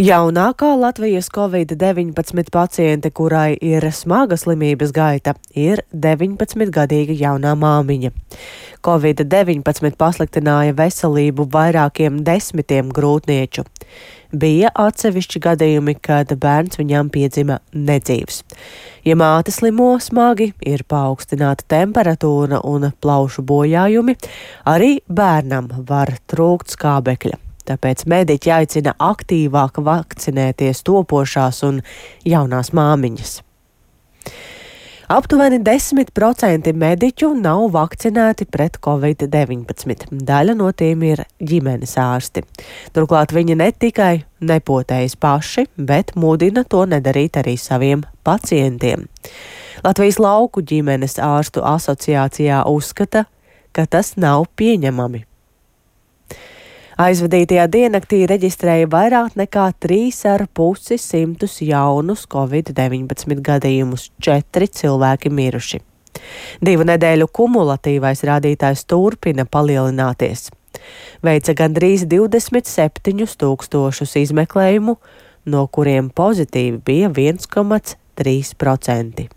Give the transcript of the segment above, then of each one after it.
Jaunākā Latvijas Covid-19 paciente, kurai ir smaga slimības gaita, ir 19-gadīga jaunā māmiņa. Covid-19 pasliktināja veselību vairākiem desmitiem grūtnieču. Bija atsevišķi gadījumi, kad bērns viņam piedzima nedzīvs. Ja māte slimo smagi, ir paaugstināta temperatūra un plaušu bojājumi, arī bērnam var trūkt skābekļa. Tāpēc mediķi aicina aktīvāk vakcinēties topošās un jaunās māmiņas. Aptuveni 10% mediķu nav vakcinēti pret Covid-19. Daļa no tiem ir ģimenes ārsti. Turklāt viņi ne tikai nepotējas paši, bet mudina to nedarīt arī saviem pacientiem. Latvijas lauku ģimenes ārstu asociācijā uzskata, ka tas nav pieņemami. Aizvadītajā diennaktī reģistrēja vairāk nekā 3,5 jaunus Covid-19 gadījumus, 4 cilvēki miruši. 2 nedēļu kumulatīvais rādītājs turpina palielināties. Veica gandrīz 27,000 izmeklējumu, no kuriem pozitīvi bija 1,3%.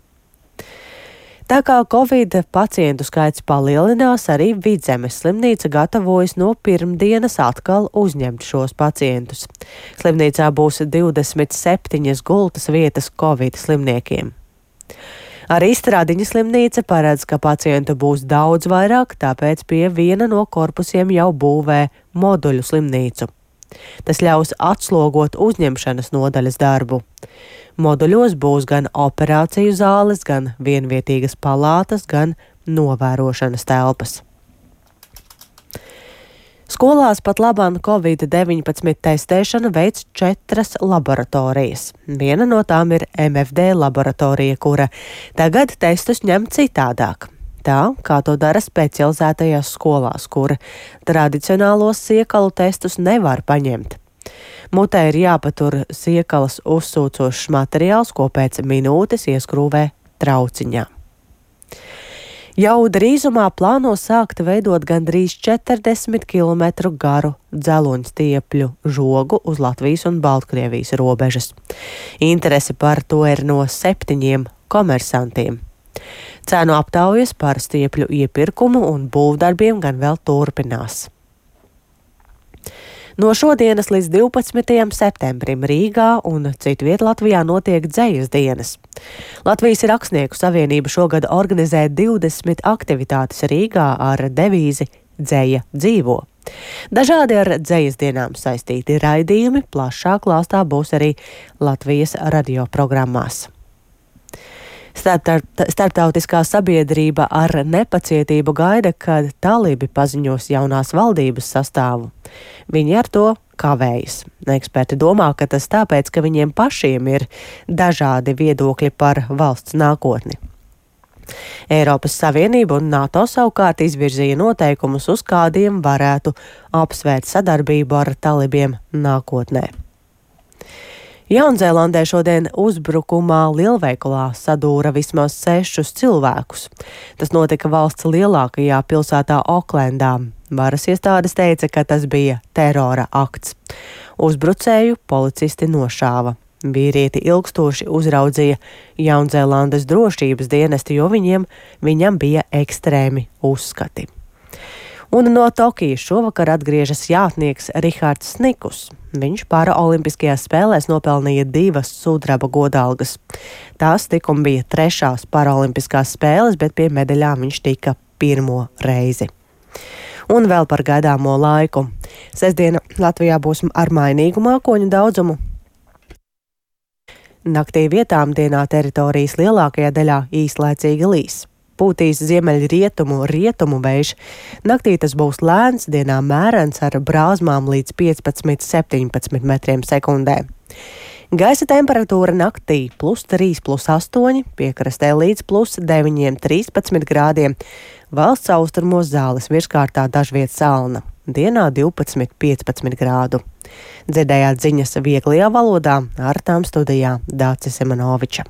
Tā kā Covid pacientu skaits palielinās, arī Vidzemes slimnīca gatavojas no pirmdienas atkal uzņemt šos pacientus. Slimnīcā būs 27 gultas vietas Covid slimniekiem. Arī Stradiņa slimnīca paredz, ka pacientu būs daudz vairāk, tāpēc pie viena no korpusiem jau būvē moduļu slimnīcu. Tas ļaus atslogot uzņemšanas nodaļas darbu. Moduļos būs gan operāciju zāles, gan vienvietīgas palātas, gan novērošanas telpas. Skolās pat labāk Covid-19 testēšanu veic 4 laboratorijas. Viena no tām ir MFD laboratorija, kura tagad testus ņem citādāk. Tā, kā to dara specializētajās skolās, kur tradicionālos siekalu testus nevar paņemt. Mutē ir jāpatur siekalas uzsūcošs materiāls, ko pēc minūtes ieskrūvē trauciņā. Jau drīzumā plāno sākt veidot gandrīz 40 km garu dzeloņstiepļu žogu uz Latvijas un Baltkrievijas robežas. Interese par to ir no 7 komersantiem. Cēnu aptaujas par stiepļu iepirkumu un būvdarbiem gan vēl turpinās. No šodienas līdz 12. septembrim Rīgā un citviet Latvijā notiek dzejas dienas. Latvijas Rakstnieku savienība šogad organizē 20 aktivitātes Rīgā ar devīzi Dzeja dzīvo. Dažādi ar dzejas dienām saistīti raidījumi plašā klāstā būs arī Latvijas radio programmās. Starptautiskā sabiedrība ar nepacietību gaida, kad talibi paziņos jaunās valdības sastāvu. Viņi ar to kavējas. Eksperti domā, ka tas tāpēc, ka viņiem pašiem ir dažādi viedokļi par valsts nākotni. Eiropas Savienība un NATO savukārt izvirzīja noteikumus, uz kādiem varētu apsvērt sadarbību ar talibiem nākotnē. Jaunzēlandē šodien uzbrukumā lielveikalā sadūra vismaz 6 cilvēkus. Tas notika valsts lielākajā pilsētā Oklendā. Varas iestādes teica, ka tas bija terora akts. Uzbrucēju policisti nošāva. Vīrieti ilgstoši uzraudzīja Jaunzēlandes drošības dienesti, jo viņam bija ekstrēmi uzskati. Un no Tokijas šovakar atgriežas jātnieks Rihards Snikus. Viņš paraolimpiskajās spēlēs nopelnīja 2 sudraba godalgas. Tās tikko bija 3. paraolimpiskās spēles, bet pie medaļām viņš tika 1. reizi. Un vēl par gaidāmo laiku. Sestdiena Latvijā būs ar mainīgu mākoņu daudzumu. Naktī vietām dienā teritorijas lielākajā daļā īslaicīgi līs. Pūtīs ziemeļrietumu vējš. Naktī tas būs lēns, dienā mērens ar brāzmām līdz 15–17 metriem sekundē. Gaisa temperatūra naktī +3, +8, piekrastē līdz +9, 13 grādiem. Valsts austrumos zāles virskārtā dažviet salna. Dienā 12, 15 grādu. Dzirdējāt ziņas vieglajā valodā, ar tām studijā Dācis Semanoviča.